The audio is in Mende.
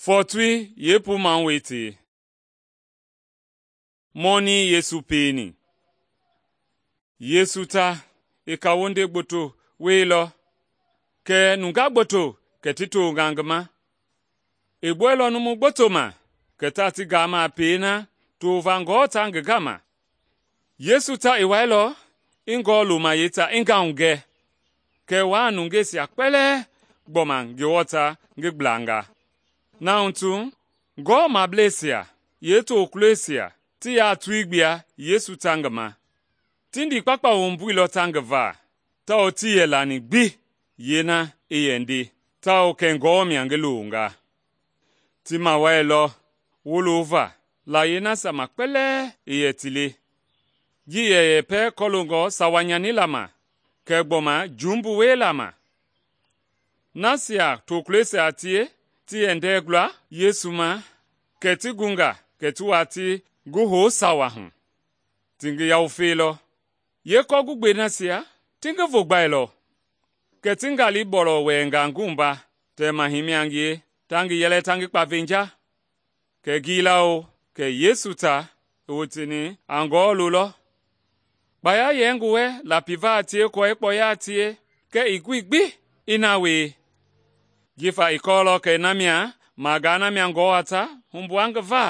Fɔɔtoi yeepuu-mawoi tei. Mɔnii Yesu pieni. Yesu ta i kawunde gboto wieilɔ, kɛ nungaa gboto kɛ ti tonga ngi ma. I gbuɛilɔ numu gboto ma kɛ taa ti gaama a pei na tova aako ta ngi gama. Yesu ta i wailɔ i Ngewɔ lumayei ta i ngahugɛ, kɛ waa nungeisia kpɛlɛɛ gbɔma Ngewɔ ta ngi gblanga. Na hu tu, Ngewɔmableisia yeetokulɔisia ti yaatui gbua Yesu ta ngi ma. Ti ndiikpakpa wumbuilɔ ta ngi va, tawao tii yɛ lani gbi yeena i yɛ nde, tawao kɛ Ngewɔ mia ngi longa. Ti mawalilɔ wolova layie nasia ma kpɛlɛɛ i yɛ ti le, ji yɛ yɛpɛ kɔloongɔ sawa-nyanila ma kɛɛ gbɔma jumbu wiela ma. Nasia tokulɔisia a tie ti yɛ ndɛɛ gula Yesu ma, kɛ ti gunga kɛ ti wati ngi hou sawa hu. Ti ngi yawufeilɔ. Yeekɔɔgugbei nasia ti ngi vogbailɔ, kɛ ti ngali bɔlɔ wɛɛnga ngi wumba tɛɛmahi mia ngie ta ngi yɛlɛ ta ngi kpavenja. Kɛ gilao kɛ Yesu ta i woteni a Ngewɔ lolɔ. Kpaya yɛ ngi wɛ lapiva a tie kɔɔ i kpɔya a tie, kɛ i goi gbi i na wie, jifa i kɔɔlɔ kɛ na mia magaa na mia Ngewɔ a ta humbua ngi va.